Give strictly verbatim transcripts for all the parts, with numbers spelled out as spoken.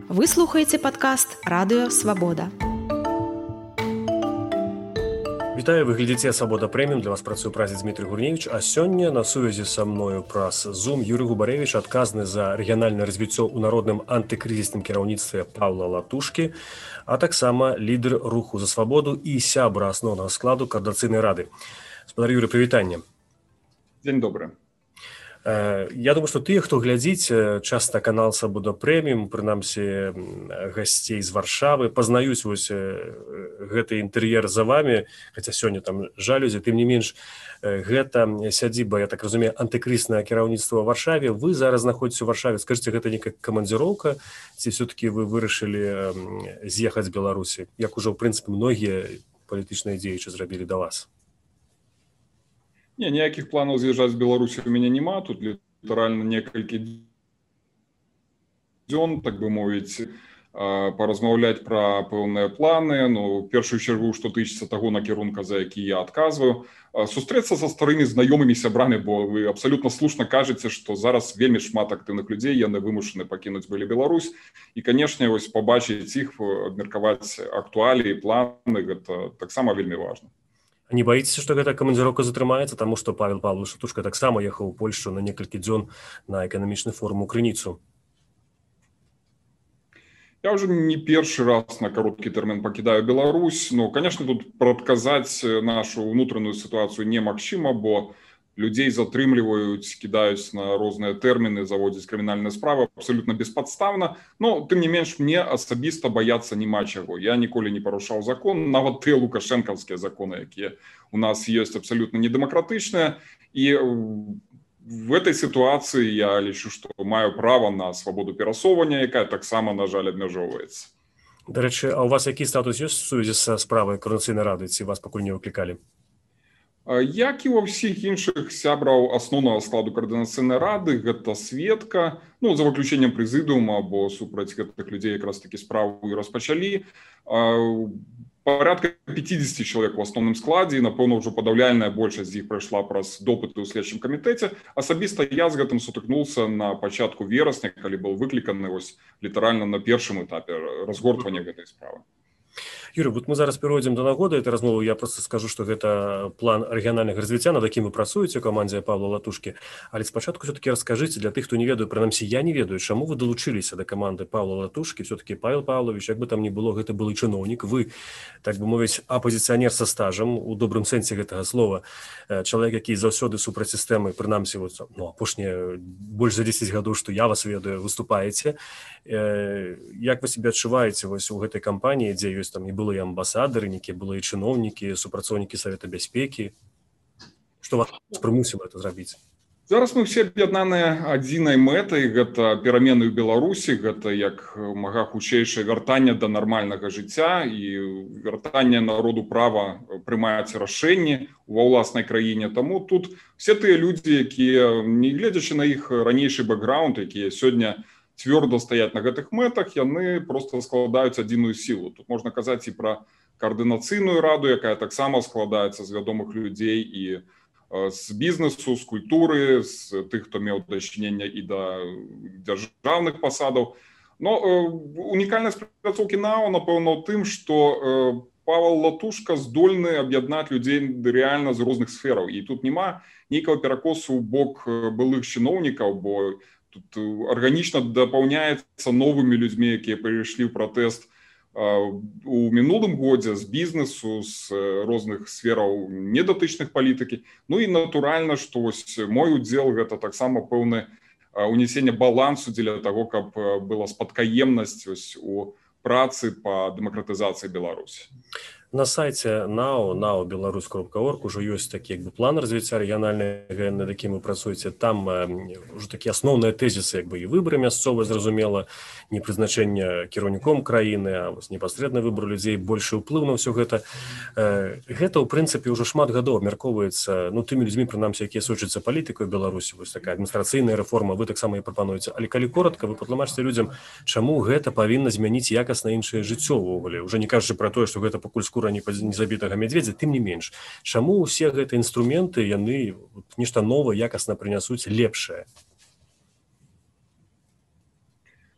Вы слухаеце падкаст Радыё Свабода. Вітаю, вы глядзіце «Свабода Прэміум». Для вас працуе празіс Дмітрый Гурневіч, а сёння на сувязі са мною праз Zoom Юрый Губарэвіч, адказны за рэгіянальнае развіццё ў народным антыкрызісным кіраўніцтве Паўла Латушкі, а таксама лідар руху за свабоду і сябра асноўнага складу Коардынацыйнай рады. Спадар Юрый, прывітанне. Дзень добры. Я думаю, што тыя, хто глядзіць часта канал «Свабода Прэміум», прынамсі гасцей з Варшавы, пазнаюць вось гэты інтэр'ер за вамі, хаця сёння там жалюзі, тым не менш, гэта сядзіба, я так разумею, антыкрызнае кіраўніцтва ў Варшаве. Вы зараз знаходзіце ў Варшаве. Скажыце, гэта нейкая камандзіроўка, ці все-таки вы вырашылі з'ехаць з Беларусі, як ужо, ў прынцыпе, многія палітычныя дзеячы зрабілі да вас? Не, ніякіх планаў з'язджаць з Беларусі у мяне няма. Тут літаральна некалькі дзён, так бы мовіць, паразмаўляць пра пэўныя планы. Ну, в першую чаргу, што тычыцца таго накірунка, за які я адказваю. Сустрэцца са старымі знаёмымі сябрамі, бо вы абсалютна слушна кажаце, што зараз вельмі шмат актыўных людзей, яны вымушаны пакінуць былі Беларусь. І, канешне, вось пабачыць іх, абмеркаваць актуаліі, планы, гэта таксама вельмі важна. Не баіцеся, што гэта камандзіроўка затрымаецца, таму што Павел Павлович Латушка таксама ехаў у Польшчу на некалькі дзён на эканамічны форум у Крыніцу? Я ўжо не першы раз на кароткі тэрмін пакідаю Беларусь. Ну, конечно, тут прадказаць нашу ўнутраную сітуацыю немагчыма, бо людзей затрымліваюць, кідаюць на розныя тэрміны, заводзяць крымінальныя справы абсалютна беспадстаўна. Но, тым не менш, мне асабіста баяцца няма чаго. Я ніколі не парушаў закон, нават тыя лукашэнкаўскія законы, якія у нас ёсць абсалютна недэмакратычныя. І в этой сітуацыі я лічу, што маю права на свабоду перасоўвання, якая таксама, на жаль, абмяжоўваецца. Дарэчы, а ў вас які статус ёсць в сувязі са справай Коардынацыйнай рады, ці вас пакуль не выклікалі? Як і ва ўсіх іншых сябраў асноўнага складу Коардынацыйнай рады, гэта сведка, ну, за выключэннем прэзідыума, бо супраць гэтых людзей якраз такі справу і распачалі. Парадка пяцьдзесят чалавек у асноўным складзе, і, напэўна, ўжо падаўляльная большасць з іх прайшла праз допыты ў следчым камітэце. Асабіста я з гэтым сутыкнуўся на пачатку верасня, калі быў выкліканы вось літаральна на першым этапе разгортвання гэтай справы. Юрий, вот мы зараз перейдем до нагоды этой размовы. Я просто скажу, что это план региональных развития, над яким вы працуеце, команде Павла Латушки. Але спочатку все-таки расскажите для тех, кто не ведает, принамсі я не ведаю, чему вы долучились до команды Павла Латушки. Все-таки Павел Павлович, як бы там ни было, это был и чиновник. Вы, так бы мовить, оппозиционер со стажем, у добрым сенсе этого слова, человек, який заўсёды супраць сістэмы, принамсі, вот, ну, апошнія больше за десять гадоў, что я вас ведаю, выступаете. Як вы себя адчуваеце вось у гэтай кампаніі, дзе ёсць там і былыя амбасадары, некія былыя чыноўнікі, супрацоўнікі Савета бяспекі? Што вас прымусіла это зрабіць? Зараз мы все аб'яднаныя адзінай мэтай, гэта перамены ў Беларусі, гэта як мага хутчэйшае вяртанне да нармальнага жыцця і вяртанне народу права прымаць рашэнні ва ўласнай краіне. Таму тут все тыя людзі, якія, не гледзячы на іх ранейшы бэкграунд, якія сёння цвёрда стаяць на гэтых мэтах, яны проста складаюць адзіную сілу. Тут можна казаць і пра Коардынацыйную раду, якая таксама складаецца з вядомых людзей і з бізнесу, з культуры, з тых, хто меў дачыненне і да дзяржаўных пасадаў. Но унікальнасць працоўкі НАО, напэўна, ў тым, што Павел Латушка здольны аб'яднаць людзей рэальна з розных сфераў. І тут няма нейкага перакосу ў бок былых чыноўнікаў, бо тут арганічна дапаўняецца новымі людзьмі, якія прыйшлі ў пратэст у мінулым годзе з бізнесу, з розных сфераў недатычных палітыкі. Ну і натуральна, што вось мой удзел гэта таксама пэўнае унесенне балансу дзеля таго, каб была спадкаемнасць вось у працы па дэмакратызацыі Беларусі. На сайте НАО, нао беларусь кропка орг уже ёсць такі як бы план развіцця рэгіянальнага, над якім вы працуеце. Там уже такія асноўныя тэзісы, як бы і выбары мясцовыя, зразумела, не прызначэнне кіраўніком краіны, а вось непасрэдны выбор людзей, большы ўплыў на ўсё гэта. Гэта, ў прынцыпе, ўжо шмат гадоў абмяркоўваецца, ну, тымі людзьмі, прынамсі, якія сочацца палітыкай Беларусі, вось такая адміністрацыйная рэформа, вы таксама і прапануеце. Але калі коротка, вы патлумачыце людзям, чаму гэта павінна змяніць якасна іншае жыццё ўвогуле. Уже не кажучы пра тое, што гэта пакуль скура не забітага мядзведзя, тым не менш. Чаму ўсе гэтыя інструменты, яны нешта новае, якасна прынясуць лепшае?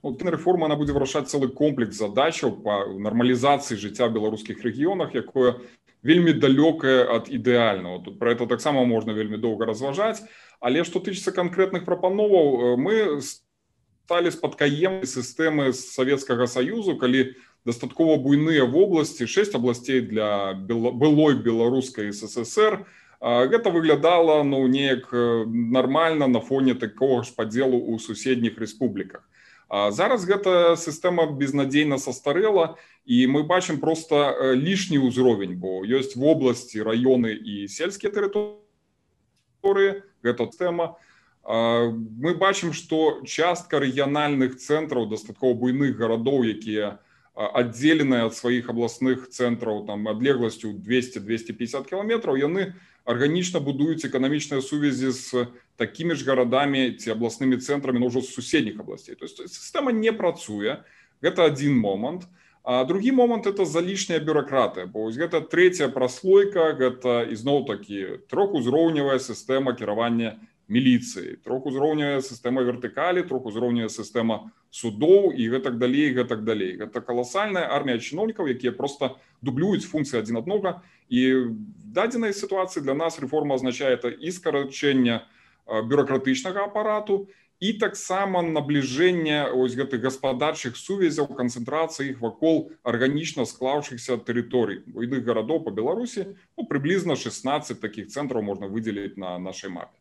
Вот рэформа она будзе вырашаць цэлы комплекс задачаў па нармалізацыі жыцця ў беларускіх рэгіёнах, якое вельмі далёкае ад ідэальнага. Тут пра это таксама можна вельмі доўга разважаць, але што тычыцца канкрэтных прапановаў, мы сталі спадкаемнай сістэмы Савецкага Саюзу, калі дастаткова буйныя вобласці, шэсць абласцей для былой беларускай СССР, гэта выглядала ну, неяк нармальна на фоне такога ж падзелу ў суседніх рэспубліках. Зараз гэта сістэма безнадзейна састарэла, і мы бачым проста лішні ўзровень, бо ёсць вобласці, раёны і сельскія тэрыторыі, гэта тэма. Мы бачым, што частка рэгіянальных цэнтраў, дастаткова буйных гарадоў, якія аддзеленыя ад сваіх абласных цэнтраў там адлегласцю двесце - двесце пятьдесят кіламетраў, яны арганічна будуюць эканамічныя сувязі з такімі ж гарадамі ці абласнымі цэнтрамі, но ўжо з суседніх абласцей. То есть сістэма не працуе, гэта адзін момант. А другі момант это залішняя бюракратыя, бо гэта трэцяя праслойка, гэта ізноў-такі трохузроўневая сістэма кіравання міліцыі, трохузроўневая сістэма вертыкалі, трохузроўневая сістэма судоў і гэтак далей, гэтак далей. Гэта каласальная армія чыноўнікаў, якія проста дублююць функцыі адзін аднога. І в дадзенай сітуацыі для нас рэформа азначае это і скарачэнне бюракратычнага апарату, і таксама набліжэнне ось гэтых гаспадарчых сувязяў, канцэнтрацыі іх вакол арганічна склаўшыхся тэрыторый буйных гарадоў па Беларусі. Ну, прыблізна шестнадцать такіх цэнтраў можна выдзеліць на нашай мапе.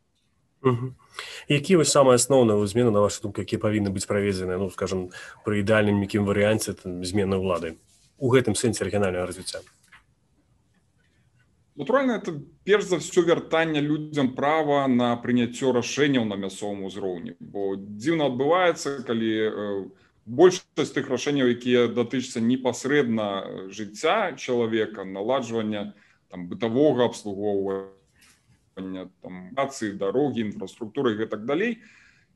Угу. Якія вось самыя асноўныя змены, на вашу думку, якія павінны быць праведзеныя, ну, скажам, пры ідэальным якім варыянце змены ўлады у гэтым сэнсе рэгіянальнага развіцця? Натуральна, это перш за ўсё вяртанне людзям права на прыняццё рашэнняў на мясцовым узроўні. Бо дзіўна адбываецца, калі большасць тых рашэнняў, якія датычацца непасрэдна жыцця чалавека, наладжвання там, бытавога абслугоўвання, там, працы, дарогі, інфраструктуры і так далей,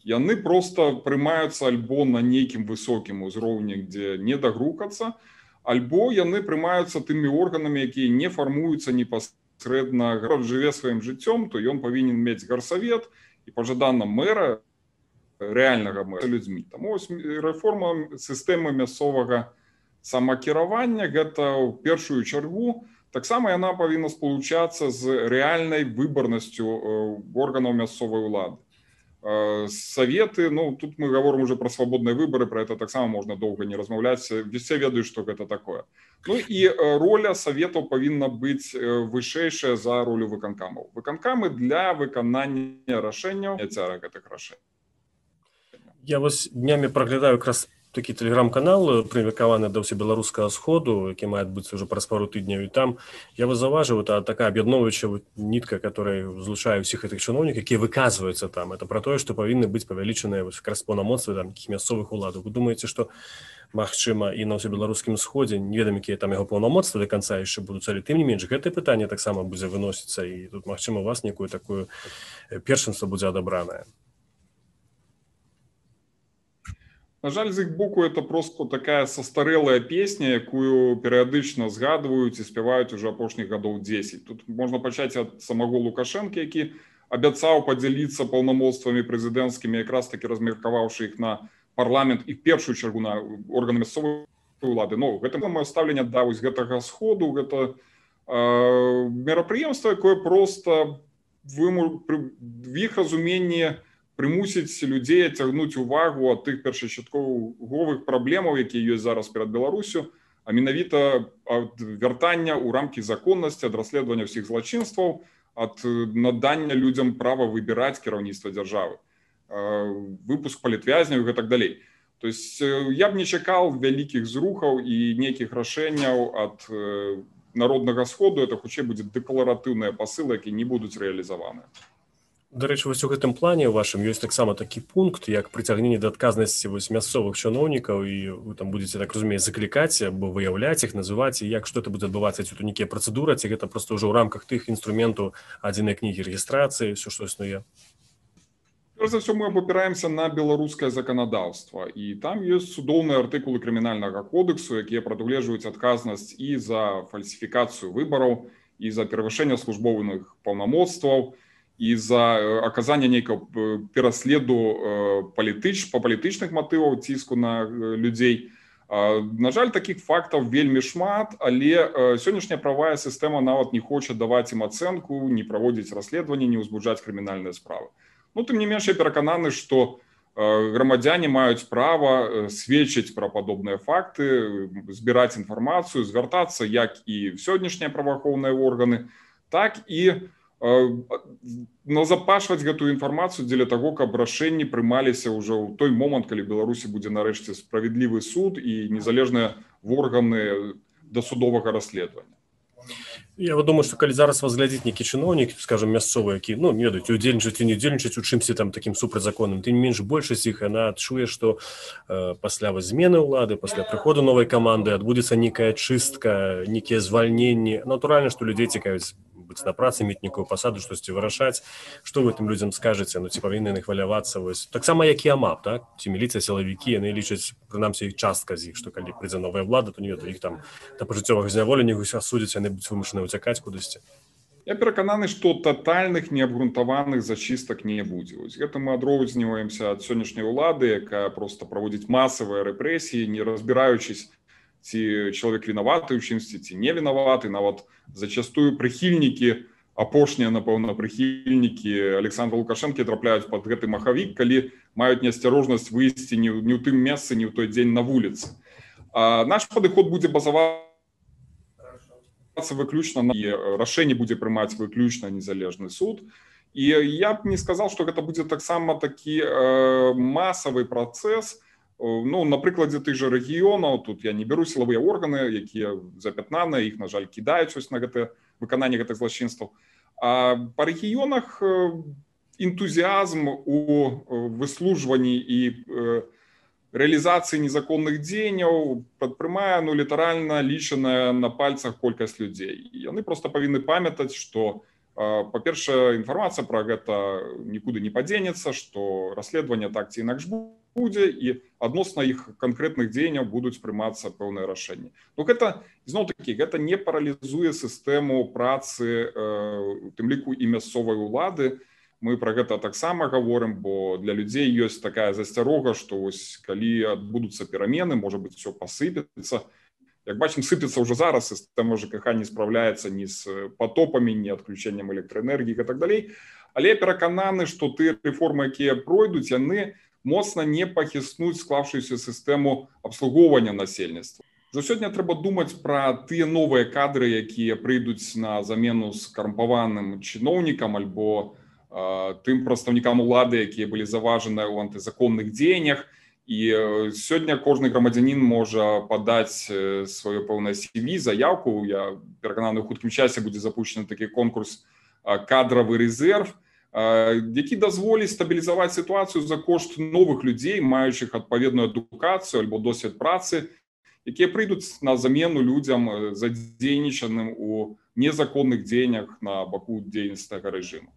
яны проста прымаюцца альбо на нейкім высокім узроўні, дзе не дагрукацца, альбо яны прымаюцца тымі органамі, якія не фармуюцца непасрэдна. Гарад жыве сваім жыццём, то ён павінен мець гарсавет і пажадана мэра, рэальнага мэра людзьмі. Таму рэформа сістэмы мясцовага самакіравання гэта ў першую чаргу. Таксама яна павінна спалучацца з рэальнай выбарнасцю органаў мясцовай улады. Советы, ну, тут мы говорим уже про свободные выборы, про это так само можно долго не размаўляць, все ведаюць, что гэта такое. Ну и роля советаў павінна быць вышэйшая за ролю выканкамаў. Выканкамы для выканання рашэнняў, няцяра гэтых рашэнняў. Я вось днямі праглядаю якраз такі тэлеграм-канал, прымеркаваны да ўсебеларускага сходу, які мае адбыцца ўжо праз пару тыдняў, і там я вас заўважыў, это такая аб'ядноўваючая нітка, которая злучае ўсіх гэтых чыноўнікаў, якія выказваюцца там. Это пра тое, што павінны быць павялічаныя якраз паўнамоцтвы там якіх мясцовых уладаў. Вы думаеце, што магчыма і на ўсебеларускім сходзе, не ведам, якія там яго паўнамоцтвы да канца яшчэ будуць, але тым не менш гэтае пытанне таксама будзе выносіцца, і тут магчыма у вас некую такую першынства будзе адабранае. На жаль, з іх боку это просто такая састарэлая песня, якую перыядычна згадваюць і спяваюць уже апошніх гадоў дзесяць. Тут можна пачаць ад самого Лукашэнкі, які абяцаў падзяліцца паўнамоцтвамі прэзідэнцкімі, якраз такі размеркаваўшы іх на парламент і в першую чаргу на органы мясцовай улады. Ну, гэта маё стаўленне да вось гэтага сходу, гэта э, мерапрыемства, якое проста в іх разуменні прымусіць людзей адцягнуць увагу ад тых першапачатковых праблемаў, якія ёсць зараз перад Беларусю, а менавіта ад вяртання ў рамкі законнасці, ад расследавання ўсіх злачынстваў, ад надання людзям права выбіраць кіраўніцтва дзяржавы, выпуск палітвязняў і так далей. То есть я б не чакаў вялікіх зрухаў і нейкіх рашэнняў ад народнага сходу, это хутчэй будзе дэкларатыўныя пасылы, якія не будуць рэалізаваныя. Да рэчы, вось у гэтым плане у вашым ёсць таксама такі пункт, як прыцягненне да адказнасці вось мясцовых чыноўнікаў, і вы там будзеце, так разумею, заклікаць або выяўляць іх, называць, і як што это будзе адбывацца, ці тут нейкія працэдуры, ці гэта проста ўжо ў рамках тых інструментаў адзінай кнігі рэгістрацыі, ўсё што існуе? Перш за ўсё мы абапіраемся на беларускае заканадаўства, і там ёсць судоўныя артыкулы крымінальнага кодексу, якія прадугледжваюць адказнасць і за фальсіфікацыю выбараў, і за перавышэнне службовых паўнамоцтваў, і за аказання нейкага пераследу палітыч, па палітычных матываў, ціску на людзей. На жаль, такіх фактаў вельмі шмат, але сённяшняя правая сістэма нават не хоча даваць ім ацэнку, не праводзіць расследаванні, не ўзбуджаць крымінальныя справы. Ну, тым не менш, я перакананы, што грамадзяне маюць права сведчыць пра падобныя факты, збіраць інфармацыю, звяртацца як і в сённяшнія праваахоўныя органы, так і назапашваць гэтую інфармацыю дзеля таго, каб рашэнні прымаліся ўжо ў той момант, калі Беларусі будзе нарэшце справядлівы суд і незалежныя органы дасудовага расследавання. Я вот думаю, что калі зараз вас глядзіць нейкі чыноўнік, скажем, мясцовы, які, ну, не ведаюць, удзельнічаць і не удзельнічаць у чымсьці там такім супрацьзаконным, тым не менш большасць іх, яна адчуе, што э, пасля змены ўлады, пасля прыходу новай каманды адбудзецца нейкая чыстка, нейкія звальненні. Натуральна, што людзей цікавіць быць на працы, мець нейкую пасаду, штосьці вырашаць. Што вы тым людзям скажаце? Ну, ці павінны яны хвалявацца? Вось. Таксама, як і АМАП, так? Ці міліцыя, сілавікі, яны лічаць, прынамсі, частка з іх, што калі прыйдзе новая ўлада, то не ведаю, іх там да пажыццёвага зняволення асудзяць, яны будуць вымушаны уцякаць кудысьці. Я перакананы, што татальных неабгрунтаваных зачыстак не будзе. Вось гэта мы адрозніваемся ад сённяшняй улады, якая проста праводзіць масавыя рэпрэсіі, не разбіраючись, ці чалавек вінаваты ў чымсьці, ці не вінаваты. Нават зачастую прыхільнікі, апошнія, напэўна, прыхільнікі Александра Лукашэнкі трапляюць пад гэты махавік, калі маюць неасцярожнасць выйсці не ў тым месцы, не ў той дзень на вуліцы. А наш падыход будзе базавацца выключна на рашэнне будзе прымаць выключна незалежны суд. І я б не сказал, што гэта будзе таксама такі э, масавы працэс. Ну, на прыкладзе тых жа рэгіёнаў, тут я не беру сілавыя органы, якія запятнаныя, іх, на жаль, кідаюць ось на гэта выкананне гэтых злачынстваў. А па рэгіёнах энтузіазм у выслужванні і рэалізацыі незаконных дзеянняў падпрымае, ну, літаральна лічаная на пальцах колькасць людзей. І яны проста павінны памятаць, што, па-першае, інфармацыя пра гэта нікуды не падзенецца, што расследаванне так ці інакш будзе, і адносна іх канкрэтных дзеянняў будуць прымацца пэўныя рашэнні. Ну, гэта, зноў-такі, гэта не паралізуе сістэму працы, у тым ліку і мясцовай улады. Мы пра гэта таксама гаворым, бо для людзей ёсць такая засцярога, што ось калі адбудуцца перамены, можа быць, усё пасыпецца. Як бачым, сыпецца ўжо зараз, сістэма ЖКХ не спраўляецца ні з патопамі, ні адключэннем электраэнергіі і так далей. Але я перакананы, што тыя рэформы, якія пройдуць, яны моцна не пахіснуць склаўшуюся сістэму абслугоўвання насельніцтва. Уже сёння трэба думаць пра тыя новыя кадры, якія прыйдуць на замену з карумпаваным чыноўнікам альбо э, тым прадстаўнікам улады, якія былі заважаныя ў антызаконных дзеяннях. І сёння кожны грамадзянін можа падаць сваё пэўнае сі ві, заявку. Я перакананы, у хуткім часе будзе запущены такі конкурс «Кадравы рэзерв», які дазволіць стабілізаваць сітуацыю за кошт новых людзей, маючых адпаведную адукацыю альбо досвед працы, якія прыйдуць на замену людзям задзейнічаным у незаконных дзеяннях на баку дзейнічнага рэжыму.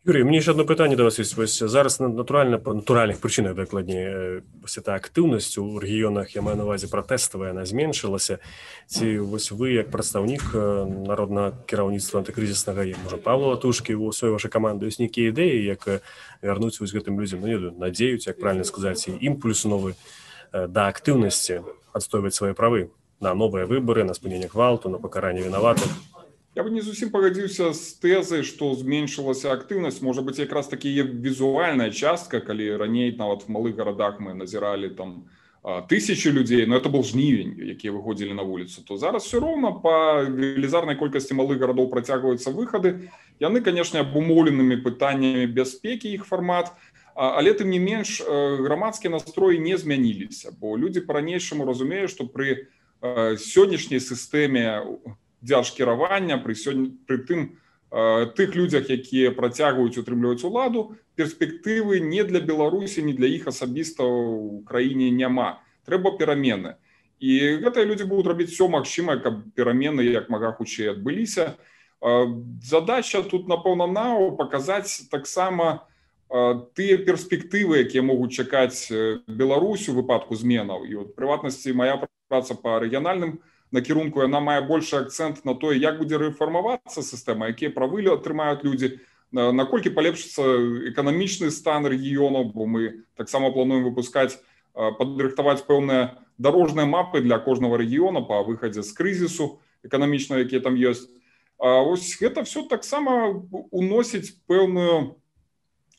Юрий, мне еще одно пытанне до вас есть. Вось зараз натуральна па натуральных прычынах, дакладней, вось эта актыўнасць у рэгіёнах, я маю на увазе пратэставая, яна зменшылася. Ці вось вы, як прадстаўнік народнага кіраўніцтва антыкрызіснага, можа, Павла Латушкі, у сваёй вашай каманды ёсць нейкія ідэі, як вярнуць вось гэтым людзям, ну, не ведаю, надзеюць, як правильно сказаць, і імпульс новы да актыўнасці адстойваць свае правы на новыя выбары, на спыненне гвалту, на пакаранне вінаватых. Я бы не зусім пагадзіўся з тэзай, што зменшылася актыўнасць. Можа быць, якраз такі візуальная частка, калі раней нават в малых гарадах мы назіралі там тысячи людзей, но это был жнівень, якія выходзілі на вуліцу, то зараз все роўна па велізарнай колькасці малых гарадоў працягваюцца выхады. Яны, канешне, абумоўленымі пытаннямі бяспекі іх фармат, але тым не менш грамадскія настроі не змяніліся, бо людзі па-ранейшаму разумеюць, што пры сённяшняй сістэме дзяржкіравання, пры, сёння, пры тым э, тых людзях, якія працягваюць утрымліваць уладу, перспектывы не для Беларусі, не для іх асабіста ў краіне няма. Трэба перамены. І гэтыя людзі будуць рабіць усё магчымае, каб перамены як мага хутчэй адбыліся. Э, задача тут, напэўна, нау паказаць таксама э, тыя перспектывы, якія могуць чакаць Беларусь у выпадку зменаў. І от, прыватнасці, моя праца па рэгіянальным накірунку, яна мае большы акцэнт на тое, як будзе рэфармавацца сістэма, якія правы атрымаюць людзі, наколькі палепшыцца эканамічны стан рэгіёнаў, бо мы таксама плануем выпускаць, падрыхтаваць пэўныя дарожныя мапы для кожнага рэгіёна па выхадзе з крызісу эканамічнага, які там ёсць. А ось гэта все таксама уносіць пэўную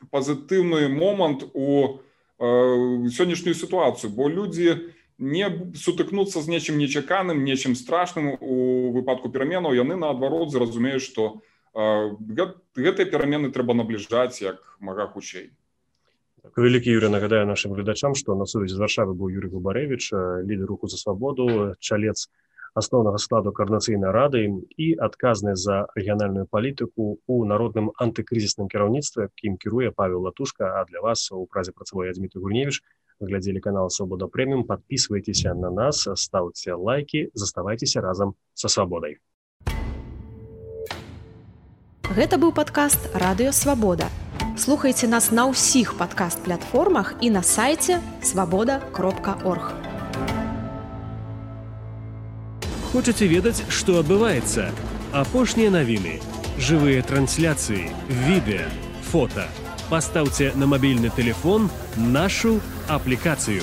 пазітыўны момант у сённяшнюю сітуацыю, бо людзі не сутыкнуцца з нечым нечаканым, нечым страшным у выпадку пераменаў, яны наадварот зразумеюць, што гэтыя перамены трэба набліжаць як мага хутчэй. Вялікі Юрый, нагадаю нашим гледачам, што на сувязі з Варшавы быў Юрый Губарэвіч, лідар руху за свабоду, чалец асноўнага складу Коордынацыйнай рады і адказны за рэгіянальную палітыку ў народным антыкрызісным кіраўніцтве, якім кіруе Павел Латушка, а для вас у празе працаваў я, Дмітрий Гурневич. Вы глядзелі канал Свабода Прэміум, подписывайтеся на нас, ставьте лайки, заставайцеся разам са свабодай. Гэта быў падкаст Радыё Свабода. Слухайце нас на ўсіх падкаст-платформах і на сайце свабода кропка орг. Хочаце ведаць, што адбываецца? Апошнія навіны, жывыя трансляцыі, відэа, фота. Пастаўце на мабільны тэлефон нашу аплікацыю.